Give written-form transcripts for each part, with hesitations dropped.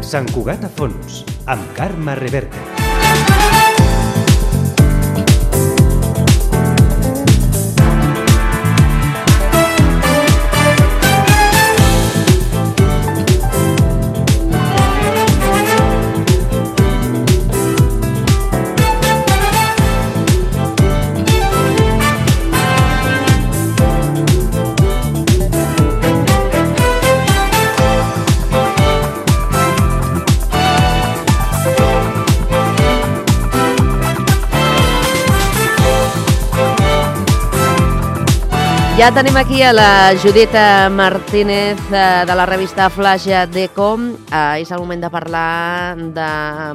Sant Cugat a fons, amb Carme Reverte. Ja tenim aquí a la Judita Martínez de la revista Flash d'Ecom. És el moment de parlar de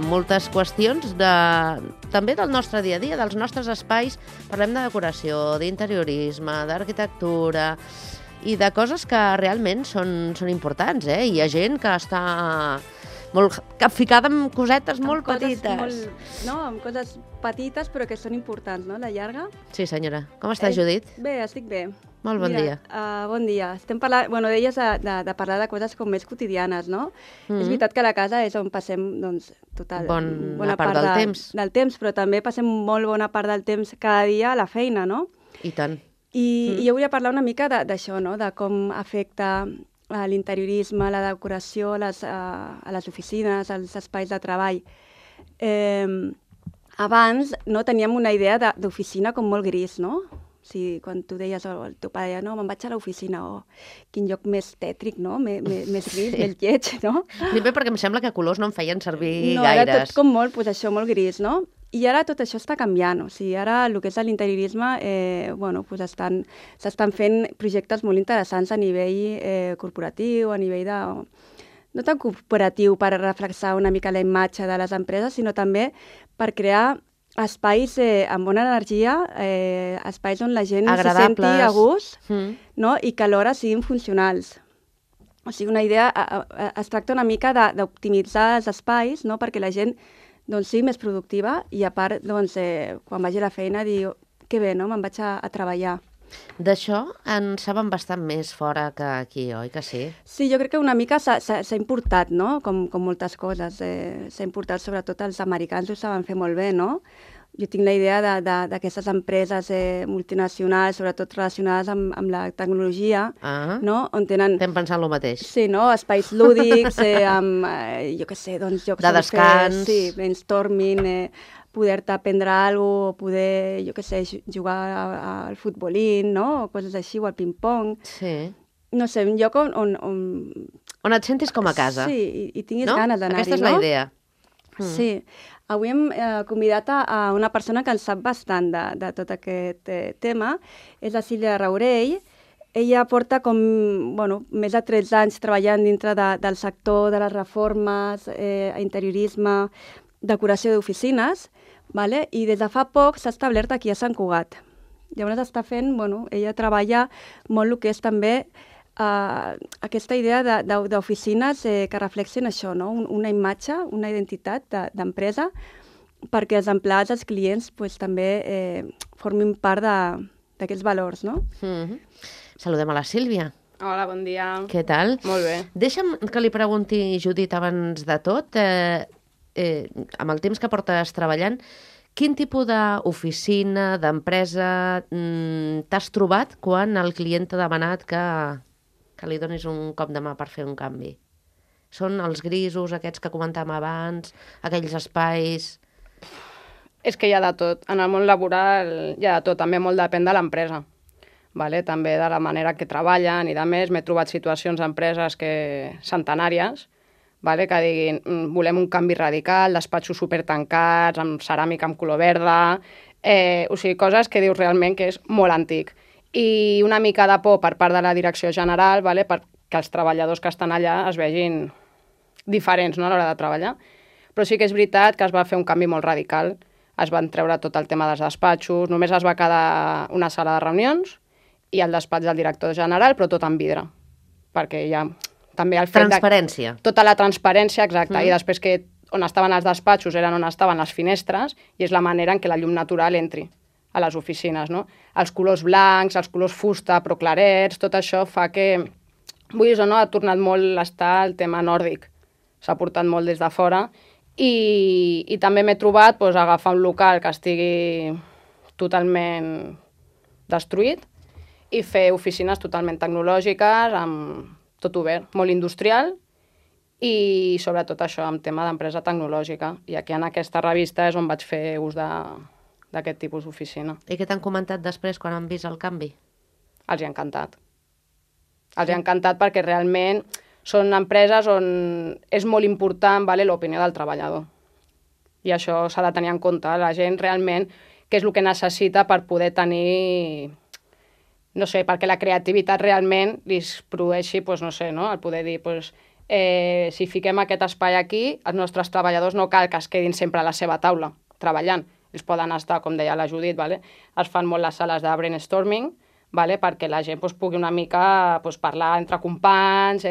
moltes qüestions, també del nostre dia a dia, dels nostres espais. Parlem de decoració, d'interiorisme, d'arquitectura i de coses que realment són importants. Hi ha gent que està molt capficada amb cosetes molt petites. Amb coses petites però que són importants, no? La llarga. Sí, senyora. Com estàs, Judit? Bé, estic bé. Molt bon dia. Bon dia. Estem parlant, deies de parlar de coses com més quotidianes, no? És veritat que la casa és on passem, doncs, bona part del temps. Però també passem molt bona part del temps cada dia a la feina, no? I tant. I jo volia parlar una mica d'això, no? De com afecta l'interiorisme, la decoració a les oficines, als espais de treball. Abans teníem una idea d'oficina com molt gris, no? O sigui, quan tu deies, el teu pare deia, no, me'n vaig a l'oficina, quin lloc més tètric, no? Més gris, més lleig, no? Primer perquè em sembla que colors no em feien servir gaires. No, era tot com molt, molt gris, no? I ara tot això està canviant, o sigui, ara el que és l'interiorisme, s'estan fent projectes molt interessants a nivell corporatiu, a nivell de... No tant corporatiu per reflexar una mica la imatge de les empreses, sinó també per crear espais amb bona energia, espais on la gent se senti a gust, no? I que alhora siguin funcionals. O sigui, una idea, es tracta una mica d'optimitzar els espais, no? Perquè la gent sigui més productiva i a part, quan vagi a la feina, dir que bé, no? Me'n vaig a treballar. D'això en saben bastant més fora que aquí, oi que sí? Sí, jo crec que una mica s'ha importat, no? Com moltes coses. S'ha importat, sobretot els americans ho saben fer molt bé, no? Jo tinc la idea d'aquestes empreses multinacionals, sobretot relacionades amb la tecnologia, no? On tenen... Estem pensant el mateix. Sí, no? Espais lúdics, amb, jo què sé, doncs jocs... De descans. Sí, brainstorming, poder-te aprendre alguna cosa, poder, jo què sé, jugar al futbolín, no? O coses així, o al ping-pong. Sí. No sé, un lloc on... On et sentis com a casa. Sí, i tinguis ganes d'anar-hi, no? Aquesta és la idea. Sí. Avui hem convidat a una persona que en sap bastant de tot aquest tema. És la Sílvia Raurell. Ella porta més de 13 anys treballant dintre del sector de les reformes, interiorisme, decoració d'oficines, i des de fa poc s'ha establert aquí a Sant Cugat. Llavors està fent, ella treballa molt el que és també aquesta idea d'oficines que reflexen això, no? Una imatge, una identitat d'empresa, perquè els empleats, els clients, també formin part d'aquests valors, no? Saludem a la Sílvia. Hola, bon dia. Què tal? Molt bé. Deixa'm que li pregunti, Judit, abans de tot, amb el temps que portes treballant, quin tipus d'oficina, d'empresa t'has trobat quan el client t'ha demanat que li donis un cop de mà per fer un canvi? Són els grisos, aquests que comentàvem abans, aquells espais... És que hi ha de tot. En el món laboral hi ha de tot. També molt depèn de l'empresa. També de la manera que treballen i de més. M'he trobat situacions d'empreses centenàries que diguin volem un canvi radical, despatxos supertancats, amb ceràmica amb color verda, o sigui, coses que dius realment que és molt antic. I una mica de por per part de la direcció general perquè els treballadors que estan allà es vegin diferents, no, a l'hora de treballar. Però sí que és veritat que es va fer un canvi molt radical. Es van treure tot el tema dels despatxos, només es va quedar una sala de reunions i el despatx del director general, però tot en vidre. Perquè hi ha també el fet transparència. Tota la transparència, exacte. I després que on estaven els despatxos eren on estaven les finestres i és la manera en què la llum natural entri a les oficines, no? Els colors blancs, els colors fusta, però clarets, tot això fa que, vulguis o no, ha tornat molt a estar el tema nòrdic. s'ha portat molt des de fora, i també m'he trobat doncs, agafar un local que estigui totalment destruït i fer oficines totalment tecnològiques, amb tot obert, molt industrial, i sobretot això, amb tema d'empresa tecnològica. I aquí en aquesta revista és on vaig fer ús d'aquest tipus d'oficina. I què t'han comentat després quan han vist el canvi? Els hi ha encantat. Els hi ha encantat perquè realment són empreses on és molt important l'opinió del treballador. I això s'ha de tenir en compte. La gent realment, què és el que necessita per poder tenir, no sé, perquè la creativitat realment li produeixi, no sé, el poder dir, si fiquem aquest espai aquí, els nostres treballadors no cal que es quedin sempre a la seva taula treballant. Ells poden estar, com deia la Judit, es fan molt les sales de brainstorming, perquè la gent pugui una mica parlar entre companys,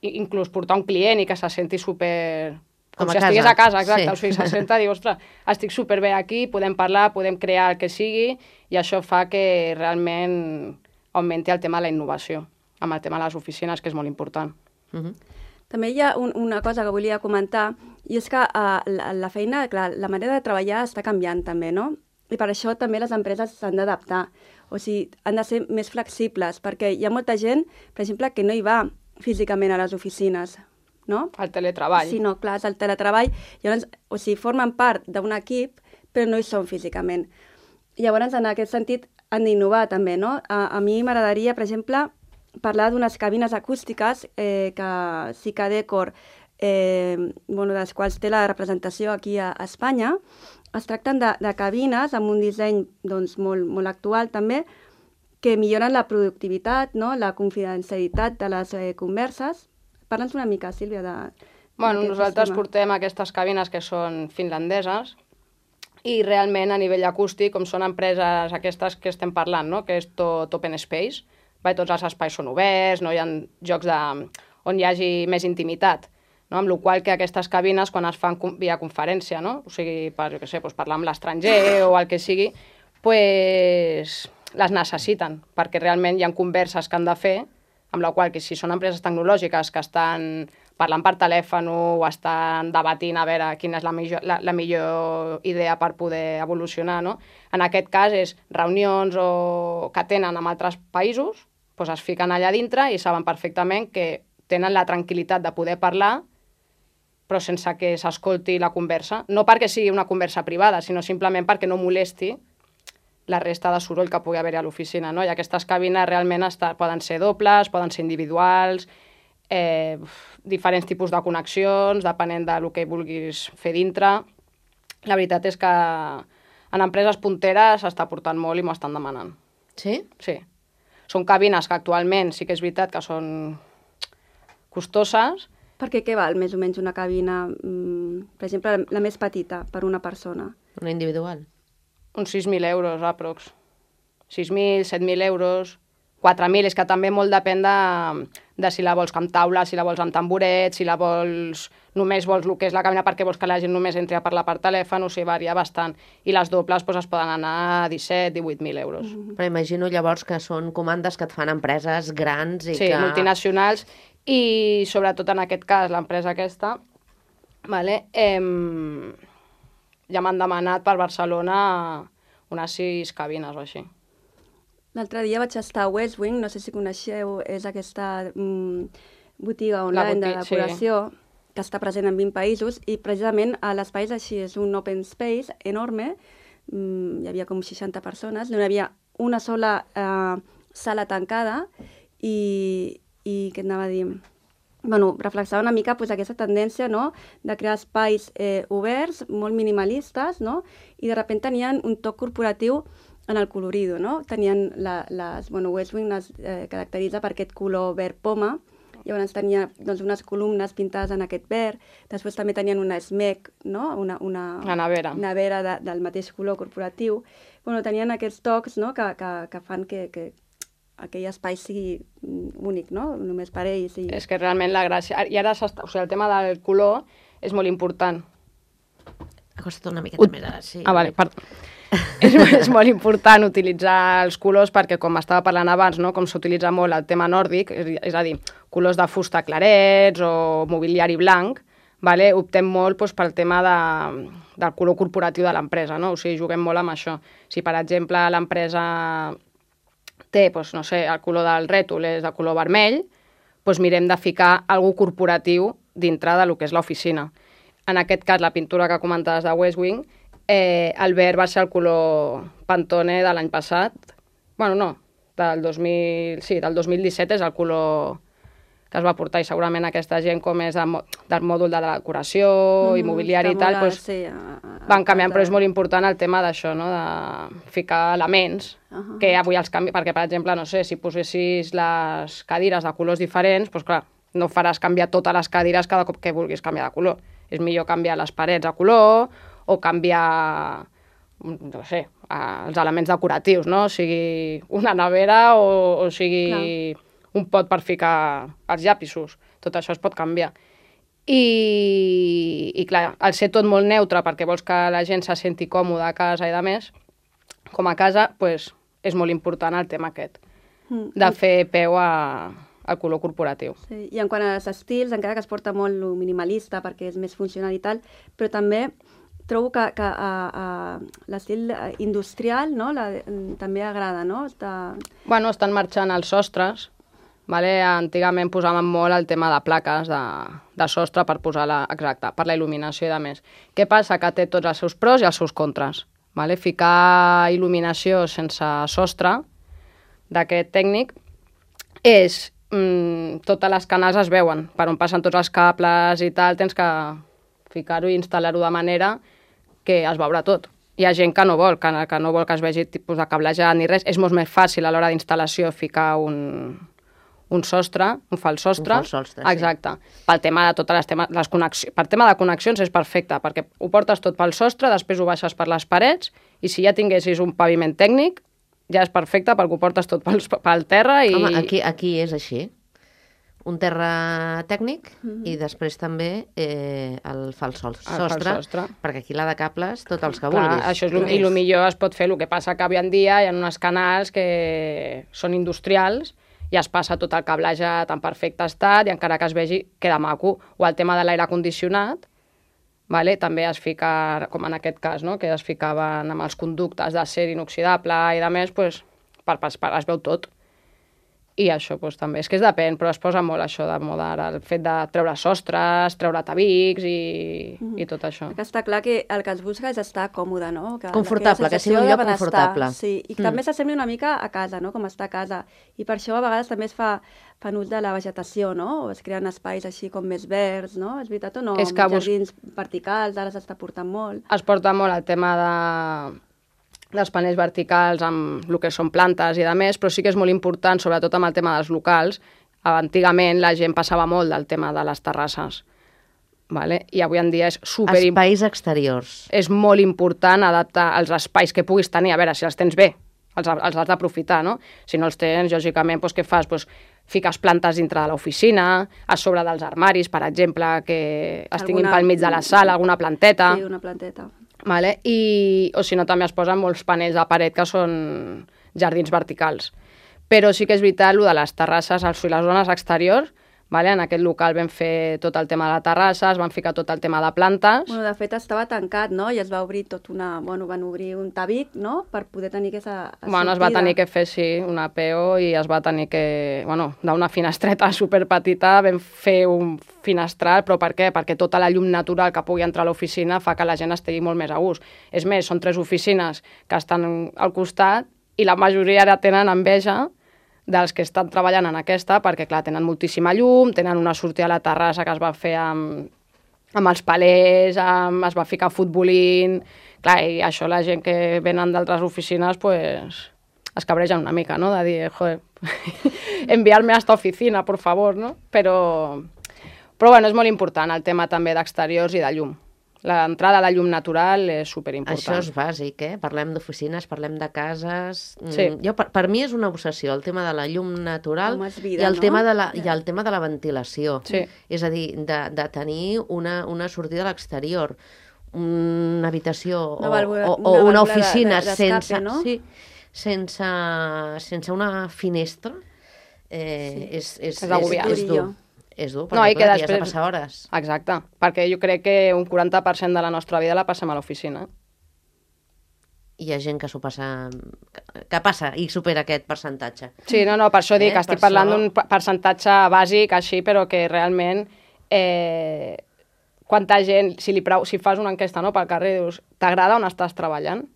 inclús portar un client i que se senti super... Com si estigués a casa, exacte. Sí. O sigui, se senta i dir, ostres, estic superbé aquí, podem parlar, podem crear el que sigui, i això fa que realment augmenti el tema de la innovació, amb el tema de les oficines, que és molt important. També hi ha una cosa que volia comentar, i és que la feina, clar, la manera de treballar està canviant també, no? I per això també les empreses s'han d'adaptar. O sigui, han de ser més flexibles, perquè hi ha molta gent, per exemple, que no hi va físicament a les oficines, no? El teletreball. Sí, no, clar, és el teletreball. Llavors, o sigui, formen part d'un equip, però no hi són físicament. Llavors, en aquest sentit, han d'innovar també, no? A mi m'agradaria, per exemple, parlar d'unes cabines acústiques que Sica Decor, dels quals té la representació aquí a Espanya. Es tracten de cabines amb un disseny molt actual també, que milloren la productivitat, la confidencialitat de les converses. Parla'ns una mica, Sílvia, nosaltres portem aquestes cabines que són finlandeses, i realment a nivell acústic, com són empreses aquestes que estem parlant, que és tot open space, tots els espais són oberts, no hi ha jocs on hi hagi més intimitat, amb la qual que aquestes cabines, quan es fan via conferència, o sigui, parlar amb l'estranger o el que sigui, les necessiten, perquè realment hi ha converses que han de fer, amb la qual que si són empreses tecnològiques que estan parlant per telèfon o estan debatint a veure quina és la millor idea per poder evolucionar, en aquest cas és reunions que tenen en altres països, es fiquen allà dintre i saben perfectament que tenen la tranquil·litat de poder parlar, però sense que s'escolti la conversa. No perquè sigui una conversa privada, sinó simplement perquè no molesti la resta de soroll que pugui haver a l'oficina. I aquestes cabines realment poden ser dobles, poden ser individuals, diferents tipus de connexions, depenent del que vulguis fer dintre. La veritat és que en empreses punteres s'està portant molt i m'ho estan demanant. Sí? Sí. Són cabines que actualment sí que és veritat que són costoses. Perquè què val més o menys una cabina, per exemple, la més petita per una persona? Una individual? Uns 6.000 euros, aprox. 6.000, 7.000 euros, 4.000, és que també molt depèn de si la vols amb taula, si la vols amb tamboret, si la vols... Només vols el que és la cabina perquè vols que la gent només entri a parlar per telèfon, o sigui, varia bastant. I les dobles es poden anar a 17, 18.000 euros. Però imagino llavors que són comandes que et fan empreses grans i que... Sí, multinacionals, i sobretot en aquest cas, l'empresa aquesta, ja m'han demanat per Barcelona unes 6 cabines o així. L'altre dia vaig estar a Westwing, no sé si coneixeu, és aquesta botiga online de decoració que està present en 20 països, i precisament l'espai és així, és un open space enorme, hi havia com 60 persones, no hi havia una sola sala tancada, i què anava a dir? Reflexava una mica aquesta tendència de crear espais oberts, molt minimalistes, i de sobte tenien un toc corporatiu en el colorido, tenien Westwing es caracteritza per aquest color verd poma, llavors tenia unes columnes pintades en aquest verd, després també tenien una SMEC, una nevera del mateix color corporatiu. Tenien aquests tocs que fan que aquell espai sigui únic, només per ells. És que realment la gràcia... I ara el tema del color és molt important. Acosta't una miqueta més ara, sí. Vale, perdó. És molt important utilitzar els colors perquè, com estava parlant abans, com s'utilitza molt el tema nòrdic, és a dir, colors de fusta clarets o mobiliari blanc, vale? Optem molt doncs, pel tema del color corporatiu de l'empresa, no? O sigui, juguem molt amb això. Si, per exemple, l'empresa té, doncs, no sé, el color del rètol és de color vermell, doncs mirem de ficar algú corporatiu dintre del que és l'oficina. En aquest cas, la pintura que comentaves de West Wing, el verd va ser el color Pantone de l'any passat. Bueno, no, del 2017 és el color que es va portar, i segurament aquesta gent, com és del mòdul de decoració, immobiliari i tal, doncs, van canviant, però és molt important el tema d'això, no? De ficar elements, que avui els canvi, perquè, per exemple, no sé, si posessis les cadires de colors diferents, doncs clar, no faràs canviar totes les cadires cada cop que vulguis canviar de color. És millor canviar les parets a color o canviar, no sé, els elements decoratius, no? O sigui, una nevera o sigui un pot per ficar els llapisos. Tot això es pot canviar. I clar, al ser tot molt neutre perquè vols que la gent se senti còmoda a casa i de més, com a casa, doncs, és molt important el tema aquest, de fer peu al color corporatiu. Sí, i en quant als estils, encara que es porta molt lo minimalista perquè és més funcional i tal, però també trobo que l'estil industrial, no? També agrada, no? Bueno, estan marxant els sostres. Vale? Antigament posàvem molt el tema de plaques de sostre per posar per la il·luminació i de més. Què passa? Que té tots els seus pros i els seus contres. Vale? Ficar il·luminació sense sostre d'aquest tècnic és... totes les canals es veuen, per on passen tots els cables i tal, tens que ficar-ho i instal·lar-ho de manera que es veurà tot. Hi ha gent que no vol que es vegi tipus de cablejat ni res. És molt més fàcil a l'hora d'instal·lació ficar un sostre, un fals sostre. Un fals sostre, sí. Exacte. Pel tema de totes les connexions. Per tema de connexions és perfecte, perquè ho portes tot pel sostre, després ho baixes per les parets, i si ja tinguessis un paviment tècnic, ja és perfecte perquè ho portes tot pel terra i... Home, aquí és així. Un terra tècnic i després també el fals sostre, perquè aquí la de cables, tots els que vulguis. Això és i el millor es pot fer. El que passa que avui en dia hi ha uns canals que són industrials i es passa tot el cablejat en perfecte estat i encara que es vegi queda maco. O el tema de l'aire condicionat, vale? També es fica, com en aquest cas, no? Que es ficaven amb els conductes d'acer inoxidable i de més, pues, es veu tot. I això pues, també, és que es depèn, però es posa molt això de moda ara, el fet de treure sostres, treure tabics i tot això. Que està clar que el que es busca és estar còmode, no? Confortable, que sigui un lloc confortable. Sí, i també s'assembli una mica a casa, no? Com està a casa. I per això a vegades també es fan ús de la vegetació, no? O es creen espais així com més verds, no? És veritat o no? És que jardins verticals, ara s'està portant molt. Es porta molt el tema dels panells verticals amb el que són plantes i de més, però sí que és molt important, sobretot amb el tema dels locals. Antigament la gent passava molt del tema de les terrasses, vale? I avui en dia és espais exteriors. És molt important adaptar els espais que puguis tenir, a veure, si els tens bé, els has d'aprofitar, no? Si no els tens, lògicament, doncs, què fas? Doncs, fiques plantes dintre de l'oficina, a sobre dels armaris, per exemple, que es tinguin pel mig de la sala, alguna planteta. Sí, una planteta. Vale? O si no, també es posen molts panells a paret que són jardins verticals. Però sí que és veritat, el de les terrasses, les zones exteriors, vale? En aquest local vam fer tot el tema de la terrassa, es van ficar tot el tema de plantes. Bueno, de fet, estava tancat, no? I es va obrir van obrir un tabic, no?, per poder tenir aquesta sortida. Bueno, es va tenir que fer, sí, una PO i es va tenir que... Bueno, d'una finestreta superpetita vam fer un finestral, però per què? Perquè tota la llum natural que pugui entrar a l'oficina fa que la gent estigui molt més a gust. És més, són 3 oficines que estan al costat i la majoria ara tenen enveja dels que estan treballant en aquesta, perquè, clar, tenen moltíssima llum, tenen una sortida a la terrassa que es va fer amb els palers, es va ficar futbolín... Clar, i això la gent que venen d'altres oficines, pues, es cabregen una mica, no?, de dir, joder, enviar-me a esta oficina, por favor, no? Però bueno, és molt important el tema també d'exteriors i de llum. L'entrada a la llum natural és superimportant. Això és bàsic, Parlem d'oficines, parlem de cases... Sí. Per mi és una obsessió, el tema de la llum natural vida, i el tema de la ventilació. Sí. És a dir, de tenir una sortida a l'exterior, una habitació o una oficina sense... No? Sí, sense una finestra és dur. És dur, No, perquè i que clar, t'hi has de després- passar hores. Exacte, perquè jo crec que un 40% de la nostra vida la passem a l'oficina. Hi ha gent que s'ho passa... que passa i supera aquest percentatge. Sí, no, per això dic que estic Per parlant això- d'un percentatge bàsic així, però que realment quanta gent, si fas una enquesta, no, pel carrer, dius, t'agrada on estàs treballant?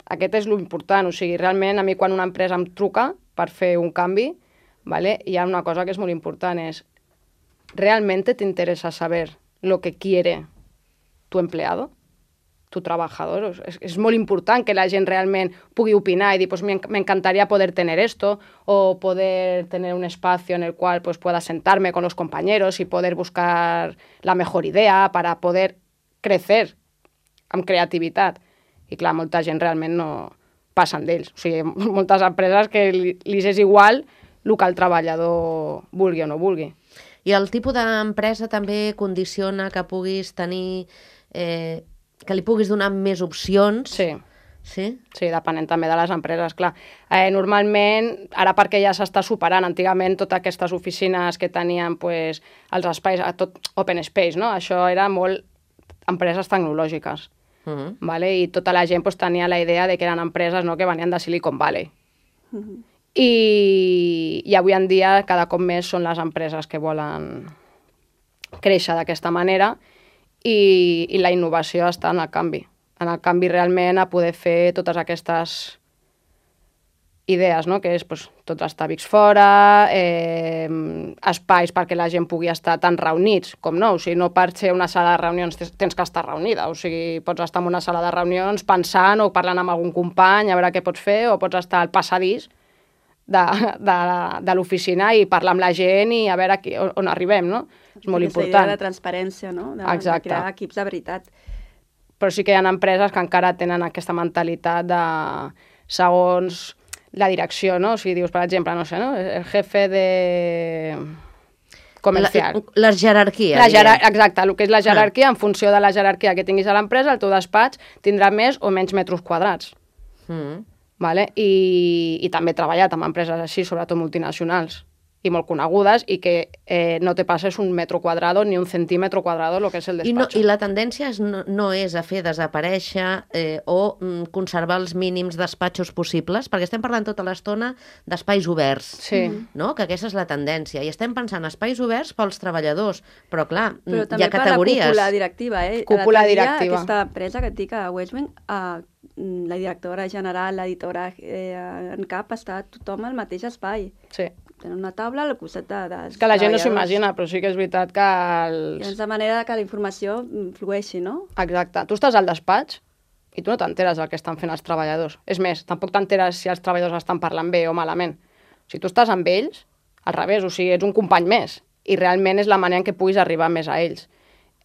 Aquest és l'important, o sigui, realment a mi quan una empresa em truca per fer un canvi, ¿vale? Hi ha una cosa que és molt important, és ¿realmente te interesa saber lo que quiere tu empleado? Tu trabajador. És molt important que la gent realment pugui opinar i dir, pues me encantaría poder tener esto o poder tener un espacio en el cual pues pueda sentarme con los compañeros y poder buscar la mejor idea para poder crecer amb creativitat. I clar, molta gent realment no passen d'ells. O sigui, moltes empreses que li és igual el que el treballador vulgui o no vulgui. I el tipus d'empresa també condiciona que puguis tenir... que li puguis donar més opcions. Sí. Sí? Sí, depenent també de les empreses, clar. Normalment, ara perquè ja s'està superant, antigament totes aquestes oficines que tenien pues, els espais, tot open space, no? Això era molt empreses tecnològiques, ¿vale? I tota la gent pues, tenia la idea de que eren empreses, no?, que venien de Silicon Valley. I avui en dia cada cop més són les empreses que volen créixer d'aquesta manera i la innovació està en el canvi. En el canvi realment a poder fer totes aquestes idees, no? Que és pues, tots els tàbics fora, espais perquè la gent pugui estar tan reunits com no. O sigui, no per ser una sala de reunions tens que estar reunida. O sigui, pots estar en una sala de reunions pensant o parlant amb algun company a veure què pots fer, o pots estar al passadís de l'oficina i parlar amb la gent i a veure on arribem, no? És molt important. La idea de transparència, no? De crear equips de veritat. Però sí que hi ha empreses que encara tenen aquesta mentalitat de segons la direcció, no? O sigui, dius, per exemple, no sé, no? El jefe de comercial. La jerarquia. Exacte, el que és la jerarquia, en funció de la jerarquia que tinguis a l'empresa, el teu despatx tindrà més o menys metres quadrats. Vale? I també he treballat amb empreses així, sobretot multinacionals i molt conegudes, i que no te passes un metro quadrado ni un centímetro quadrado el que és el despatx. I la tendència no és a fer desaparèixer o conservar els mínims despatxos possibles, perquè estem parlant tota l'estona d'espais oberts, no? Que aquesta és la tendència. I estem pensant espais oberts pels treballadors, però clar, hi ha categories. Però també per la cúpula directiva. Cúpula directiva. Aquesta empresa que et dic a Westwing, la directora general, l'editora en cap, està tothom al mateix espai. Sí. Tenen una taula al costat dels És que la gent no s'ho imagina, però sí que és veritat que I és la manera que la informació flueixi, no? Exacte. Tu estàs al despatx i tu no t'enteres del que estan fent els treballadors. És més, tampoc t'enteres si els treballadors estan parlant bé o malament. Si tu estàs amb ells, al revés, o sigui, ets un company més i realment és la manera en què puguis arribar més a ells.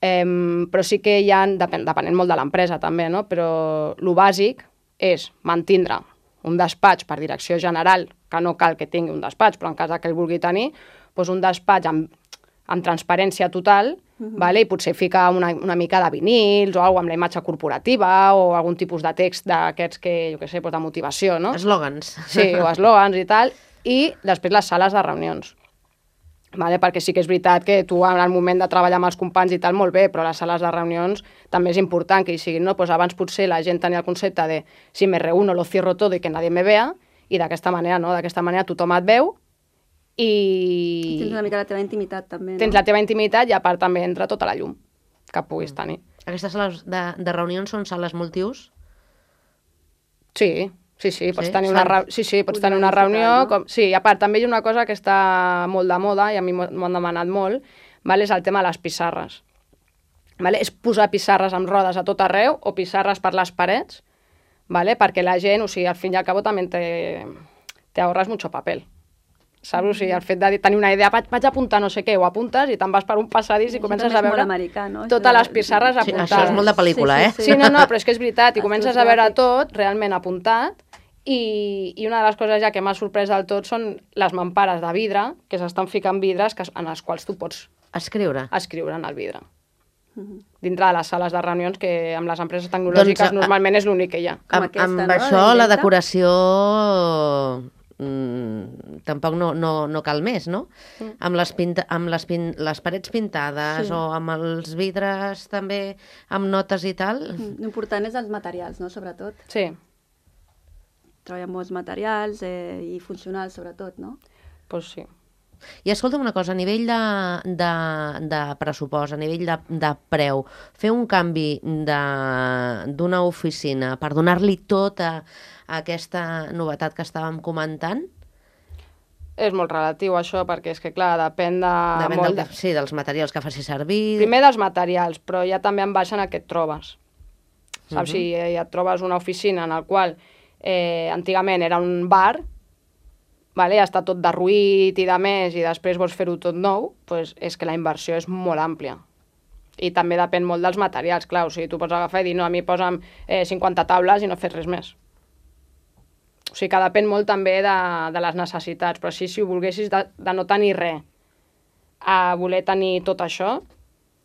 Però sí que hi ha, depenent molt de l'empresa també, no? Però el bàsic és mantindre un despatx per direcció general, que no cal que tingui un despatx, però en cas que el vulgui tenir, doncs un despatx amb transparència total, vale? I potser ficar una mica de vinils o alguna amb la imatge corporativa o algun tipus de text d'aquests que, jo què sé, de motivació, no? Eslògans. Sí, o eslògans i tal. I després les sales de reunions. Vale? Perquè sí que és veritat que tu en el moment de treballar amb els companys i tal, molt bé, però les sales de reunions també és important que hi siguin, no? Pues abans potser la gent tenia el concepte de si me reúno lo cierro todo y que nadie me vea, i d'aquesta manera no, d'aquesta manera tothom et veu i... Tens una mica la teva intimitat també, no? Tens la teva intimitat i a part també entra tota la llum que puguis tenir. Aquestes sales de reunions són sales multiús? Sí, pots tenir una reunió... Sí, i a part també hi ha una cosa que està molt de moda i a mi m'ho han demanat molt, vale? És el tema de les pissarres. Vale? És posar pissarres amb rodes a tot arreu o pissarres per les parets, vale? Perquè la gent, o sigui, al fin i al cabo també te ahorras mucho papel. Saps? O sigui, el fet de tenir una idea, vaig apuntar no sé què, o apuntes i te'n vas per un passadís i comences a veure totes les pissarres apuntades. Això és molt de pel·lícula, eh? Sí, no, però és que és veritat, i comences a veure tot realment apuntat, i una de les coses ja que m'ha sorprès del tot són les mampares de vidre, que s'estan ficant vidres en els quals tu pots escriure en el vidre. Dintre de les sales de reunions, que amb les empreses tecnològiques normalment és l'únic que hi ha. Amb això la decoració tampoc no cal més, no? Amb les parets pintades o amb els vidres també amb notes i tal. L'important és els materials, no? Sobretot. Sí. Treballar amb molts materials i funcionals, sobretot, no? Doncs sí. I escolta'm una cosa, a nivell de pressupost, a nivell de preu, fer un canvi d'una oficina per donar-li tota aquesta novetat que estàvem comentant? És molt relatiu això, perquè és que, clar, depèn de... Sí, dels materials que faci servir... Primer dels materials, però ja també en baixen a què et trobes. Saps? Si et trobes una oficina en la qual antigament era un bar, vale, ja està tot derruït i de més, i després vols fer-ho tot nou, doncs és que la inversió és molt àmplia. I també depèn molt dels materials, clar, o sigui, tu pots agafar i dir, no, a mi posa'm 50 taules i no fes res més. O sigui que depèn molt també de les necessitats, però sí, si ho volguessis de no tenir res a voler tenir tot això,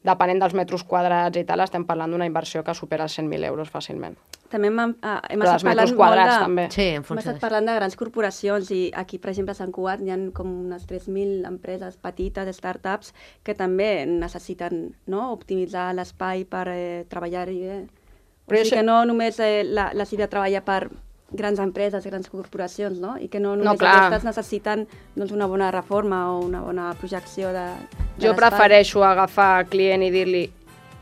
depenent dels metres quadrats i tal, estem parlant d'una inversió que supera els 100.000 euros fàcilment. També hem però dels metres quadrats, també. Sí, hem estat parlant de grans corporacions i aquí, per exemple, a Sant Cugat hi ha com unes 3.000 empreses petites, startups, que també necessiten optimitzar l'espai per treballar-hi bé. O sigui que no només la Sílvia treballa per grans empreses, grans corporacions, no? I que no només aquestes necessiten una bona reforma o una bona projecció de l'espai. Jo prefereixo agafar client i dir-li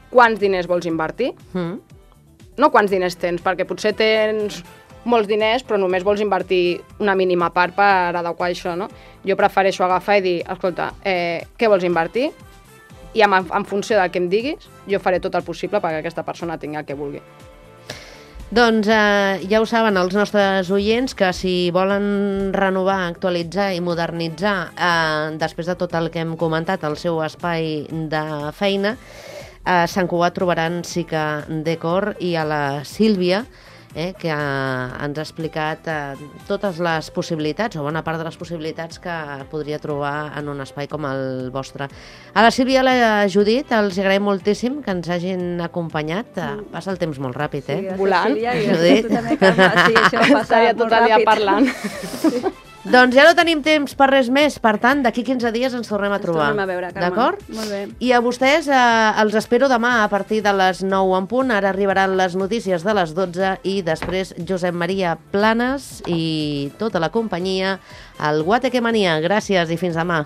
quants diners vols invertir, no quants diners tens, perquè potser tens molts diners però només vols invertir una mínima part per adequar això, no? Jo prefereixo agafar i dir, escolta, què vols invertir? I en funció del que em diguis, jo faré tot el possible perquè aquesta persona tingui el que vulgui. Doncs ja ho saben els nostres oients, que si volen renovar, actualitzar i modernitzar després de tot el que hem comentat el seu espai de feina, a Sant Cugat trobaran Sica Decor i a la Sílvia, que ens ha explicat totes les possibilitats, o bona part de les possibilitats que podria trobar en un espai com el vostre. A la Sílvia i a la Judit els agraïm moltíssim que ens hagin acompanyat. Passa el temps molt ràpid, Volant. Judit. Tu també, Carme. Sí, això passa tot el dia parlant. Doncs ja no tenim temps per res més, per tant, d'aquí 15 dies ens tornem a trobar. Ens tornem a veure, Carme. D'acord? Molt bé. I a vostès els espero demà a partir de les 9 en punt. Ara arribaran les notícies de les 12 i després Josep Maria Planes i tota la companyia al Guateque Mania. Gràcies i fins demà.